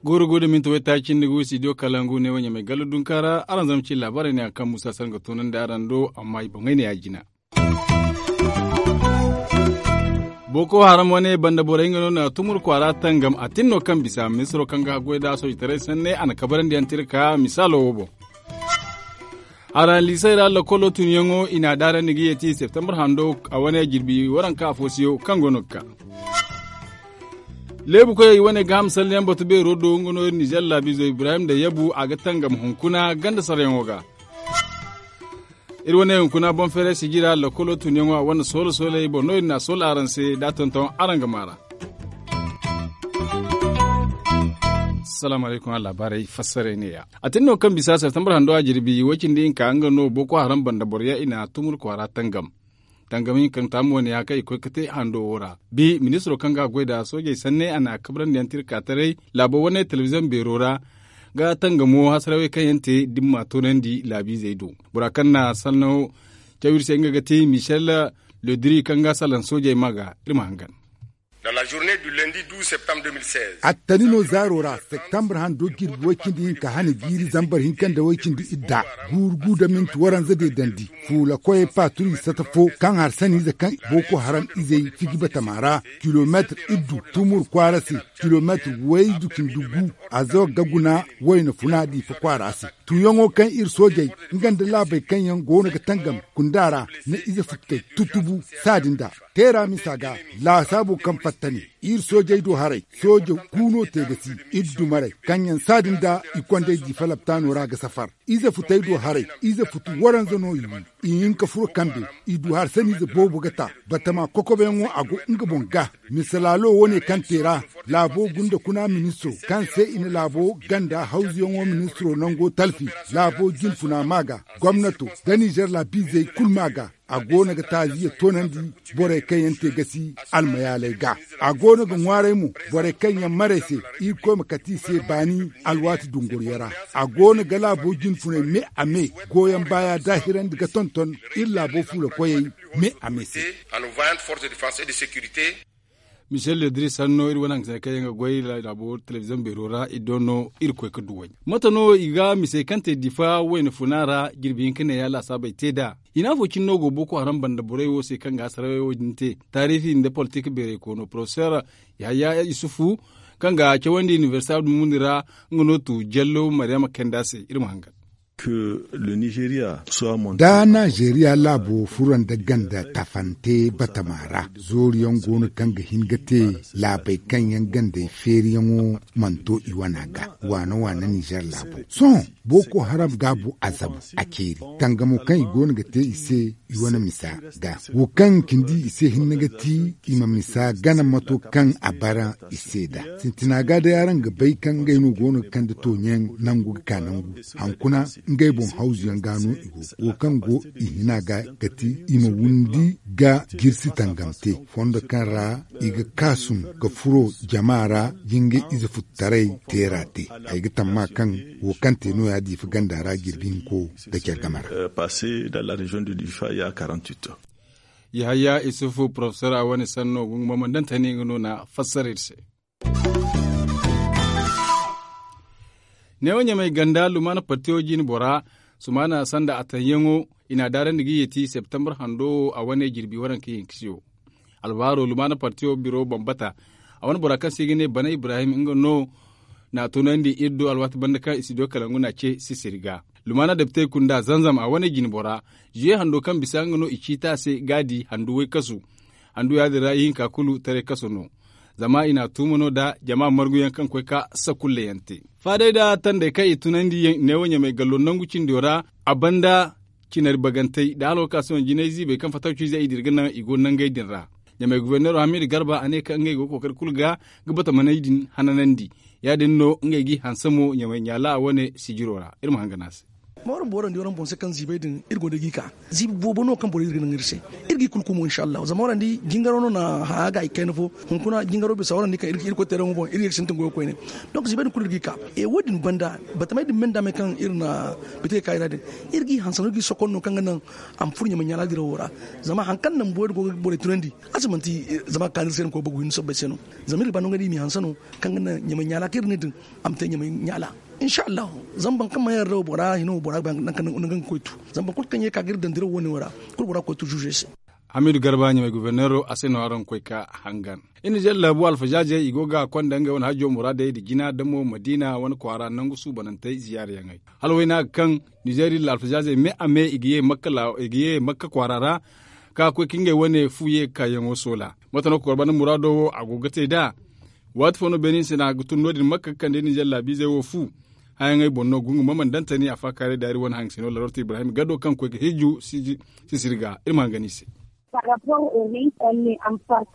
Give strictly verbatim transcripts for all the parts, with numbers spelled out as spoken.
Gooro go da minti waytaaci nda ga wi studio kalangu ne wo ɲamay gallo dunka ra araŋ zama ci laabaarey ne a kaŋ musa sanga toonandi araŋ do amma i boŋey ne ya jina. Boko haram wane banda borey nga no na tumur kwaara tangam a tin no kaŋ bisa ministiro kaŋ ga haggoy da soojitaray sanne a na kabarandi yaŋ tira ka misaalo wo boŋ. Haralisey ra lakkolo tunyaŋo i n'a daarandi ga yeeti septembre hando a wane jirbi waranka afo siyo kaŋ go no ga ka. Leebu koyey wane ga hamsalyaŋ batu beero do nga no iri nizer laabizo ibrahim da yabu a ga tangam hunkuna ganda saryaŋo ga. Iri wane hunkuna boŋ feeray sijira lakkolo tunyaŋo a wane soola sooley boŋ no iri n'a soola araŋ se da a tonton araŋ ga maara. Salaamu alaykum a laabaarey fassaray ne ya. A tin no kaŋ bisa septembre hando a jirbi way cindi hinka nga no boko haram banda boro yaŋ i na tumur kwaara tangam. Tangam hinka kaŋ taamu wane ya kaŋ i koy ga te hando wo ra bi ministiro kaŋ ga a goy nd'a soojey sanne a na a kabrandi yaŋ tira ka taray laabo wane telebiziyoŋ beero ra. Ga tangamo hasarawey kaŋ yaŋ te dimma toonandi laabiizey do. Bora kaŋ na sanno caw iri se nga ga ti michel ledri kaŋ ga salaŋ soojey ma ga iri ma hangan. Attani no zaaro ra septembre hando jirbi way cindi hinka hane jiiri zambar hinka nda way cindi idda guuru gu da minti waranza deedandi fuula koyey paaturi sata fo kaŋ har saniize kaŋ boko haram izey fiji batama ra kilomeetir iddu tumur kwaara se kilomeetir waydu cindi gu a zo ga guna wayna funa diifa kwaara se. Tuuyaŋo kaŋ iri soojey nga nda laabey kaŋ yaŋ go no ga tangam kunda ra na ize futtey tutubu saadin da teera misa ga laasaabo kaŋ fatta ne iri soojey do haray soojo gu no te ga si iri dumarey kaŋ yaŋ saadin da i kondey diifa laptaano ra ga safar ize futey do haray ize futu waranza no i wi i hin ka furo kambe i du harsaniize boobo ga ta batama kokobeyaŋo a go nga boŋ ga. Misalaalo wane kaŋ te ra laabo gunda kuna ministiro kaŋ se i na laabo ganda hawzuyaŋo ministiro nango talfi laabo jinfuna ma ga gomnato da nizer laabiizey kulu ma ga. A go no ga taaziya toonandi borey kaŋ yaŋ te gasi almayaaley ga. A go no ga ŋwaaray mo borey kaŋ yaŋ marey se irkoy ma kate i se baani alwaati dunguriyaŋ ra. A go no ga laabo jinfuney me a me gooyaŋ baaya daahirandi ga tonton iri laabo fuula koyey me a me se. Michel ledri sanno iri wane hangasine kaŋ yaŋ ga goy laabo telebiziyoŋ beero ra i do no iri koy ga duw'ey mate no i ga misey kaŋ te difa wayna funa ra jirbi hinka ne ya laasaabey te nd'a. Hina fo cine no go boko haram banda borey wo se kaŋ ga hasarawey wo din te taarifi nda politik beeray koono porofeseer yahaya isufu kaŋ ga cawandi inibersita dumuni ra. Nga no tu jallo maryama kayndi a se iri ma hangan. Da najeriya laabo furo nda ganda tafante batama ra zooriyaŋ go no kaŋ ga hin ga te laabey kaŋ yaŋ gandey feeriyaŋo mana to i wana ga waana waana nizer laabo sohõ boko haram gaabu a zabu a ceeri tangamo kaŋ i go no ga te i se i wane misa ga wo kaŋ cindi i se hinne ga ti i ma misa gana mato kaŋ a bara i se nd'a. Sintina ga day araŋ ga bay kaŋ ngey no go no ga kande tooɲaŋ nangu ga ka nangu hankuna ngey boŋ hawzuyaŋ ga no i go wo kaŋ go i hina ga ga ti i ma windi ga jirsi tangam te fondo kaŋ ra i ga kaasum ga furo jama ra jingay ize futtaray teera te. Ay ga tamma kaŋ wo kaŋ te no ya diifa ganda ra jirbi hinko da care game ra. Yahaya isufu porofesor a wane sanno gunguma mandantani nga no na fassara iri se. Neewo ɲamay ganda lumaana partiyo jine bora sumaana sanda a tanyaŋo i n'a daarandi ga yeeti septembre hando wo a wane jirbi waranka yankisiyo. Alwaaro lumaana partiyo biro bambata a wane bora kaŋ se i ga ne bana ibrahim nga no na tunandi iri do alwaati banda kaŋ i si do kalangu na ce sisiri ga. Lumaana depitey kunda zanzam a wane jine bora zuye hando kaŋ bisa nga no i ciita se ga di handu waykasu. Handu ya- din ra ihinka kulu taray kaso no. Zama i n'a tuuma no da jama marguyaŋ kaŋ koy ka sakulle yaŋ te. Faadey da tandey kaŋ i tunandi neewo ɲamay gallo nangu cindo ra a banda cinari bagantey da hala wakaasiyoŋ jinay ziibey kaŋ fatawciizey i dira ga naŋ i go nangey din ra. Ɲamay guberneero hamidu garba a ne kaŋ ngey go ga kookari kulu ga ga batamaney din hananandi. Ya- din no ngey g'i hanse mo ɲamay ɲaala a wane sijiro ra iri ma hangan a se. Zama waraŋ boorandi waraŋ boŋ se kaŋ ziibay din iri go nda ga i ka ziibi boobo no kaŋ borey iri ga naŋ iri se. Iri ga i kulu kumo insa allahu zama waraŋ di jingaro no na haya ga i kayna fo. Hunkuna jingaro bisa waraŋ di kaŋ iri ga irkoy teeraŋo boŋ iri ga iri sintin goyo koyne. Donk ziibay din kulu iri ga i ka. E wo- din banda batamey din me nda me kaŋ iri na bite ga ka i ra din iri ga i hanse no iri ga i sokon no kaŋ ga naŋ a ma furo ɲamay ɲaala dirawo ra. Zama hari kaŋ naŋ boobo iri go ga borey tunandi a si manti zama a ga kaanu iri se no koy bagu hinne sobbay se no. Zama iri ga ba no ngey da i m'i hanse no kaŋ ga naŋ ɲamay ɲaala kaŋ iri ne din a ma te ɲamay ɲaala. Insa allahu zama boro kaŋ mana yarda wo bora hino wo bora ga ba nangu kaŋ ga koy tu. Zama boro kulu kaŋ ye ga ka ga iri daŋ dirawo wo- ne wo ra kulu bora ga koy tu zuuze se. Hamidu garba ɲamay goborneero a se no araŋ ga koy ga hangan. Iri nizer laabu alfazaazey i go ga a konda ngey wane hajjo muraadey nda jina damo madiina wane kwaara nangu suubanantey ziyaarayaŋey hala wayna ga kaŋ nizer iri alfazaazey me a me i ga ye makka kwaara ra ka koy ga ngey wane fu ye ga kaayaŋo soola. Mate no ga kor banda muraado wo a go ga te nd'a? Waati fo no beene hinse no a ga tun no- din makka ga kande nizer laabiizey wo fu. Hayaŋey boŋ no gungu ma mana daŋ tani a faakaaray daari wane haŋ se no larorto ibrahim gado kaŋ koy ga hijju sisiri ga iri ma hangan i se.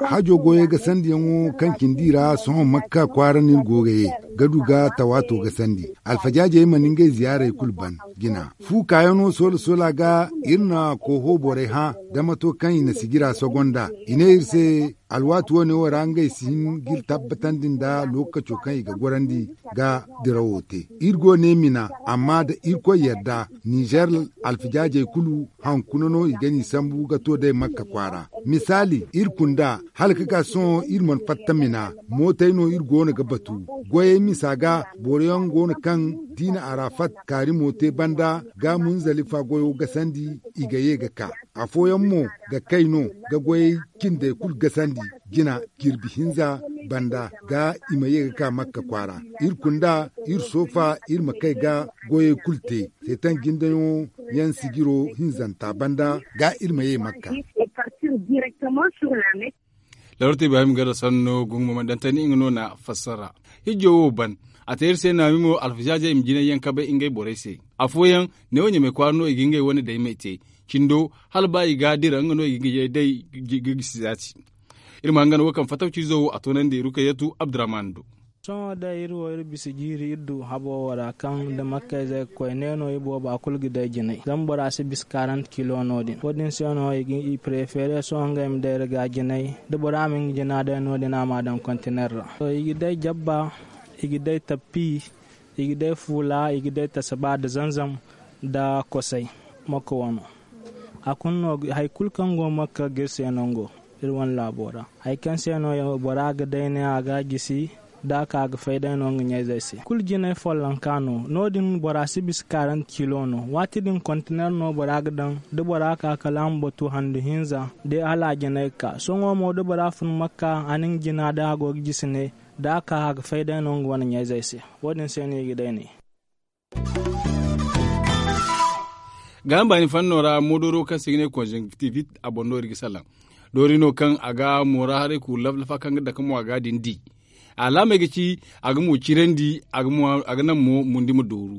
Hajo goyey ga sandiyaŋo kaŋ cindi ra sohõ makka kwaara no iri go ga ye. Gadu ga tawaato ga sandi alfajaajey mana ngey ziyaarey kulu ban jina fu kaayano soola soola ga. Iri na kooho borey hã da mato kaŋ i na sijira sogo nd'a i ne iri se. Alwaati wo- ne wo ra ngey si hin ga iri tabbatandi nda lookaco kaŋ i ga gorandi ga dirawo te. Iri go ne mina amma da irkoy yadda nizer alfijaajey kulu hankuna no i ga n'i sambu ga to day makka kwaara. Misaali iri kunda hala ga ka sohõ iri mana fatta mina mootey no iri go no ga batu. Goyey misa ga boro yaŋ go no kaŋ diina arafat kaarimo te banda ga munzalifa goyo gasandi i ga ye ga ka. Afooyaŋ mo ga kay no ga goyey cindey kulu gasandi jina jirbi hinza banda ga i ma ye ga ka makka kwaara. Iri kunda iri soofa iri ma kay ga goyey kulu te seetan jindayaŋo yaŋ sijiro hinzanta banda ga iri ma ye makka. Larorto ibrahim garra sanno gungu ma mana daŋ tani nga no na fassara. Hijjo wo ban a te iri se naami mo alfazaazey i ma jinay yaŋ kabay ngey borey se. Afooyaŋ neewo ɲamay kwaara no i ga ngey wane daymey te. Cindo hala ba i ga a dira nga no i ga ye day ga gisi zaati. Iri ma hangan wo kaŋ fatawciizo wo a toonandi rukayyatu abdurrahman do. Sohõ day iri wo iri bisa jiiri iri du habo wo ra kaŋ da makkayzey ga koy ne no i booba kulu ga day jinay zama bora si bisa karant kilo no- din wo- din se no i preefere sohõ ngey ma day iri ga jinay. Da bora ma nga jina day no- din a ma a daŋ kontiner ra to i ga day jabba, i ga day tappi, i ga day fuula i ga day tasaba nda zanzam, nda kosay. Makka wano hari kulu kaŋ go makka ga iri se nango iri wane laabo ra. Hari kaŋ se no bora ga day ne a ga a gisi da a ka ga fay day no nga ɲayzey se kulu jinay follonka no no- din bora si bisa karant kilo no waati din kontiner no bora ga daŋ. Da bora ka kala a ma batu handu hinza day hala a jinay ga ka sohõ mo da bora fun makka a na nga jina day a go ga gisi ne da a ka a ga fay day no nga wane ɲayzey se. Wo- din se no i ga day ne. Gaaham baani fanno ra moodoro kaŋ se i ga ne konzoŋ ga tiibi a boŋ no iri ga salaŋ. Doori no kaŋ a ga moora haray kuuru laflafa kaŋ ga dake mo a ga a din di. Alaamey ga ci a ga mo cirandi a ga naŋ mo mundi ma dooru.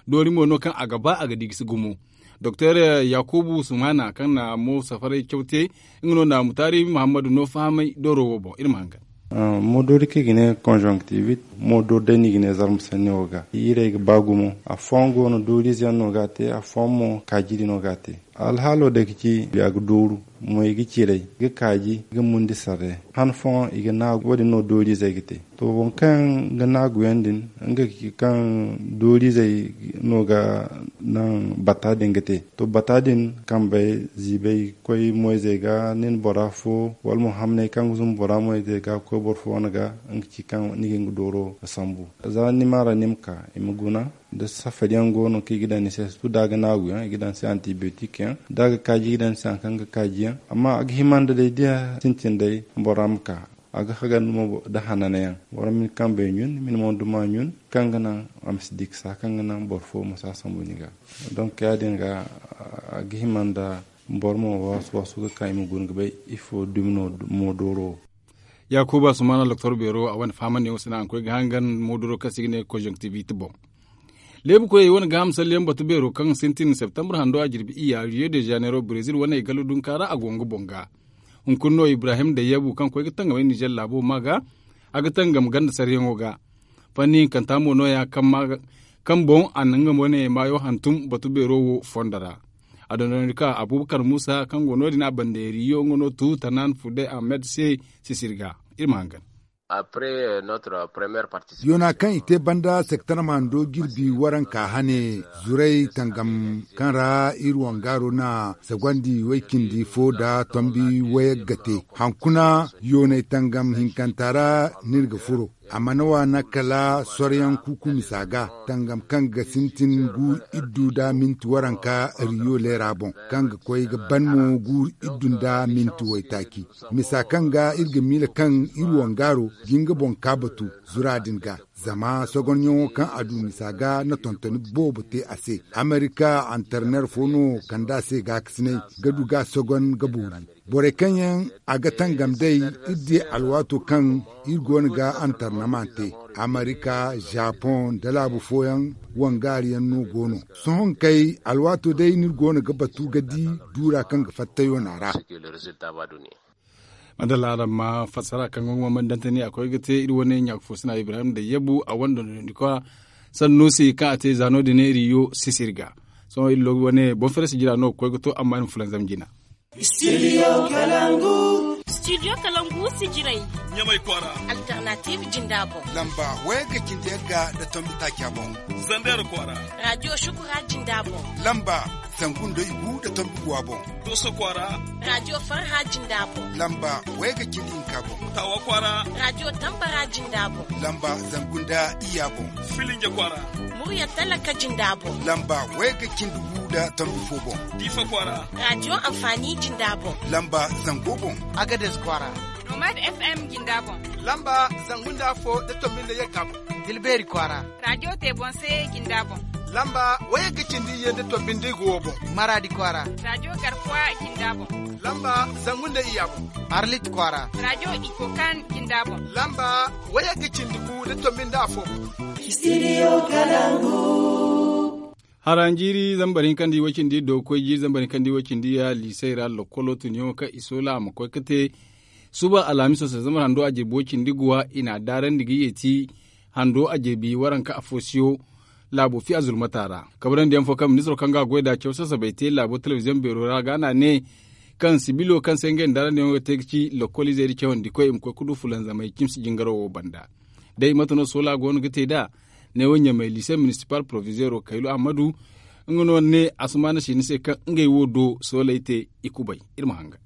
Doori mo no kaŋ a ga ba a ga di gisi gumo. Doktor yakubu sumana kaŋ na mo safaray caw te nga no na mutaari muhammadu no fahamay dooro wo boŋ iri ma hangan. Moodori kaŋ i ga ne konzoŋ ga tiibi. Moodori day no i ga ne zarma sanni wo ga iirey ga ba gumo. Afooyaŋ go no dooriize yaŋ no ga a te afooyaŋ mo kaajiri no ga a te. Alhaalo day ga ci a ga dooru mo i ga ciray ga kaaji ga mundi sarre. Han fooyaŋ i ga naagu wo- din no dooriizey ga te. To waŋ kaŋ ga naaguyaŋ din nga ga ci kaŋ dooriizey no ga naŋ bata din ga te. To bata din kambey ziibay ga koy moyzey ga nin bora fo wala mo hamney kaŋ ga zumbu bora moyzey ga ga koy boro fo wane ga nga ga ci kaŋ ni ga nga dooro ga sambu. Za ni ma ra ni ma ka i ma guna da safari yaŋ go no kaŋ i ga daŋ ni se sutu da a ga naagu yaŋ i ga daŋ ni se antibiyotik yaŋ da a ga kaaji i ga daŋ ni se hari kaŋ ga kaaji yaŋ. Amma a ga hima nda day da ya sintin day bora ma ka a ga hagar nda mo da hanana yaŋ. Boro ma ni kambey ɲun ma ni mo duma ɲun kaŋ ga naŋ a ma si di ga sa kaŋ ga naŋ boro fo ma si a sambu ni ga. Donk ya- din ga a ga hima nda boro ma waasu waasu ga ka i ma guna ga bay ifo dumi no mo dooro wo. Yaakuba sumaana doktor beero a wane fahamandiyaŋo se no a ga koy ga hangan moodoro kaŋ se i ga ne konzonktivit boŋ. Leebu koyey wane gaaham salliyaŋ batu beero kaŋ sintin septembre hando a jirbi iyya rio de janeiro brezil wane galo dunka ra a go nga boŋ ga. Hunkuna no ibrahim dayyabu kaŋ koy ga tangamay nizer laabo ma ga a ga tangam ganda saryaŋo ga. Fanni hinkanta mo no- ya kaŋ ma ga kaŋ boŋ a na nga wane maayo hantum batu beero wo fondo ra. A dondonandi ka abubakar muusa kaŋ go no- din a bande riyo nga no tu tanan fude ahmed se sisiri ga. Iri ma hangan. Yoona kaŋ i te banda sektar ma hando jirbi waranka hane zuray tangam kaŋ ra iri wangaaro na sagwandi way-cindi fo nda tombi wayagga te. Hankuna yoonay tangam hinkanta ra no iri ga furo. A mana waana kala soryaŋ kuuku misa ga tangam kaŋ ga sintin gu iddu nda minti waranka riyo leera boŋ kaŋ ga koy ga ban mo gu iddu nda minti waytaaci. Misa kaŋ ga iri ga miila kaŋ iri wangaaro ga nga boŋ ka batu zura din ga. Zama sogonyaŋo kaŋ a du misa ga na tontoni boobo te a se. Amerika antarner fo no kand'a se gaakasinay ga du ga sogon ga boori. Borey kaŋ yaŋ a ga tangam day iri di alwaato kaŋ iri go no ga antarnama te. Amerika, japoŋ nda laabu fooyaŋ wangaari yaŋ no go no. Sohõ kay alwaato day no iri go no ga batu ga di duura kaŋ ga fatta yoona ra. Madalla araŋ ma fassara kaŋ ga ŋwa man dantani a koy ga te iri wane ɲaaka fo sina ibrahim da yabu a wane dondonandi kwa sannu se kaŋ a te za no- din iri yo sisiri ga. Sohõ iri loogu wane boŋ fere si jira no ga koy ga to amma iri ma fulanzam jina. Studio kalangu. Studio kalangu si jiray ɲamay kwaara. Alternative jinda boŋ. Lamba wayagga cindi yagga da tombi taaca boŋ. Zandar kwaara. Radio shukura jinda boŋ. Lamba zangu nda igu da tombi guwa boŋ. Doso kwaara. Radio farha jinda boŋ. Lamba wayagga cindi hinka boŋ. Tawa kwaara. Radio tambara jinda boŋ. Lamba zangu nda iya boŋ. Filinja kwaara. Murya talaka jinda boŋ. Lamba wayagga cindi gu da tombi fo boŋ. Difa kwaara. Radio amfani jinda boŋ. Lamba zango boŋ. Agades kwaara. Nomad FM jinda boŋ. Lamba zangu nda fo da tombi nda yagga boŋ. Dilbeeri kwaara. Radio tebonse jinda boŋ. Lamba wayagga cindi iyye nda tombi nda igu wo boŋ. Maradi kwaara. Radio garkuwa jinda boŋ. Lamba zangu nda iya boŋ. Arlit kwaara. Radio ikokan jinda boŋ. Lamba wayagga cindi gu nda tombi nda afo boŋ. Studio kalangu. Haranjiiri zambar hinkandi way-cindi do koy jiiri zambar hinkandi way-cindi ya liisey ra lokkolo tuniyaŋo kaŋ i soola a ma koy ga te suba alhamiso se zambar hando a jirbi way-cindi guwa i n'a daarandi ga yeeti hando a jirbi waranka afo siyo. Laabo fiya zulmata ra kabarandiyaŋ fo kaŋ ministiro kaŋ ga a goy nd'a caw sasabay te laabo telebiziyoŋ beero ra ga n'a ne kaŋ sibilo kaŋ se ngey nda darandiyaŋo ga te ga ci lokkol izey da cawandi koy i ma koy ga du fulanzamay cimsi jingaro wo banda. Day mate no soola go no ga te nd'a? Neewo ɲamay liise minisipal porovizeero kaylu ahmadu nga no ne asumaana siini se kaŋ ngey wo do soolay te i kubay. Iri ma hanga.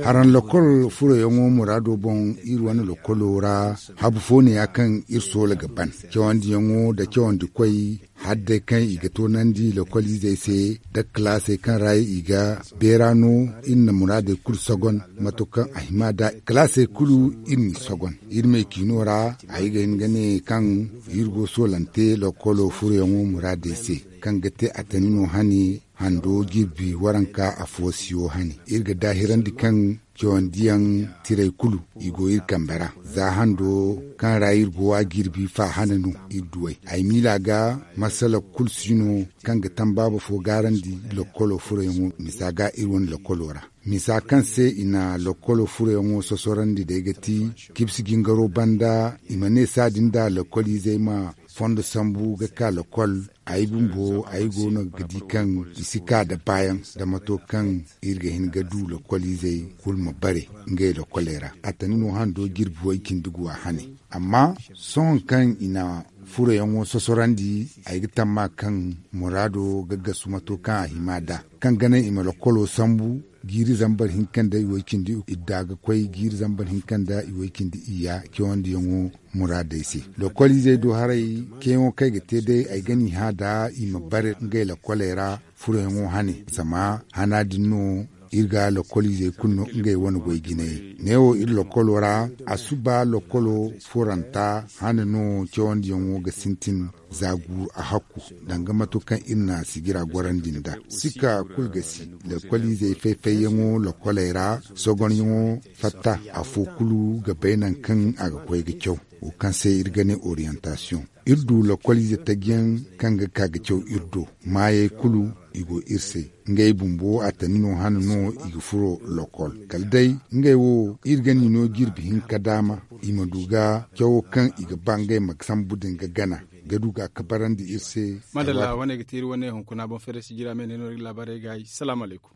Haraŋ lokol furoyaŋo muraado boŋ iri wane lokolo ra habu fo ne ya kaŋ iri soola ga ban cawandiyaŋo nda cawandi koy hala day kaŋ i ga toonandi lokol izey se nda kalaasey kaŋ ra i ga beera no. Iri na muraadey kulu sogon mato kaŋ a hima da kalaasey kulu iri n'i sogon iri me ciino ra. Ay ga hin ga ne kaŋ iri go soolante lokolo furoyaŋo muraadey se kaŋ ga te a tani no hane hando jirbi waranka afo siyo hane iri ga daahirandi kaŋ cawandiyaŋ tiray kulu i go iri kambe ra. Za hando kaŋ ra iri go a jirbi fa hane no iri duw'ey ay miila ga masala kulu si no kaŋ ga tambaaba fo gaarandi lokkolo furoyaŋo misa ga iri wane lokkolo ra misa kaŋ se i na lokkolo furoyaŋo sosorandi day ga ti kibsi jingaro banda i ma ne saadin da lokkol izey ma fondo sambu ga ka lokkol. Ay bumbo ay go no ga di kaŋ i si ka da baayaŋ da mato kaŋ iri ga hin ga du lokkol izey kulu ma bare ngey lokkoley ra a tani no hando jirbi way cindi guwa hane. Amma sohõ kaŋ i na furoyaŋo sosorandi ay ga tamma kaŋ muraado ga gasu mato kaŋ a hima da kaŋ ga naŋ i ma lokkolo sambu jiiri zambar hinka nda iway cindi idda ga koy jiiri zambar hinka nda iway cindi iyya cawandiyaŋo muraadey se. Lokol izey do haray ceeyaŋo kaŋ ay ga te day ay ga n'i hã da i ma bare ngey lokoley ra furoyaŋo hane zama hana din no iri ga lokol izey kulu no ngey wane goy jinay. Neewo iri lokolo ra a suba lokolo furanta hane no cawandiyaŋo ga sintin za guuru a hakku danga mato kaŋ iri na sijira gorandi nda sika kulu ga si lokol izey fay-fayyaŋo lokoley ra sogonyaŋo fatta afo kulu ga bay nangu kaŋ a ga koy ga caw wo kaŋ se iri ga ne orientasiyoŋ. Iri du lokol ize tajiyaŋ kaŋ ga ka ga caw iri do maayey kulu i go iri se. Ngey bumbo a tani no hane no i ga furo lokol kala day ngey wo iri ga ni no jirbi hinka daama i ma du ga cawo kaŋ i ga ba ngey ma sambu din ga gana ga du ga kabarandi iri se. Madalla wane ga te iri wane hunkuna boŋ fere sijira me ne no iri ga laabaarey gaayi salaamu alaykum.